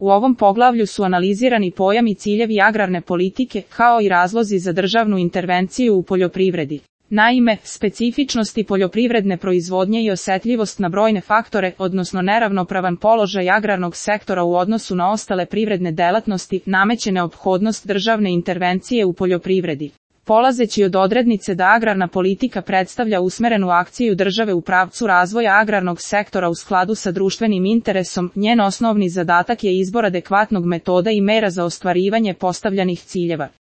U ovom poglavlju su analizirani pojam i ciljevi agrarne politike, kao i razlozi za državnu intervenciju u poljoprivredi. Naime, specifičnosti poljoprivredne proizvodnje i osjetljivost na brojne faktore, odnosno neravnopravan položaj agrarnog sektora u odnosu na ostale privredne delatnosti, nameće neophodnost državne intervencije u poljoprivredi. Polazeći od odrednice da agrarna politika predstavlja usmerenu akciju države u pravcu razvoja agrarnog sektora u skladu sa društvenim interesom, njen osnovni zadatak je izbor adekvatnog metoda i mera za ostvarivanje postavljenih ciljeva.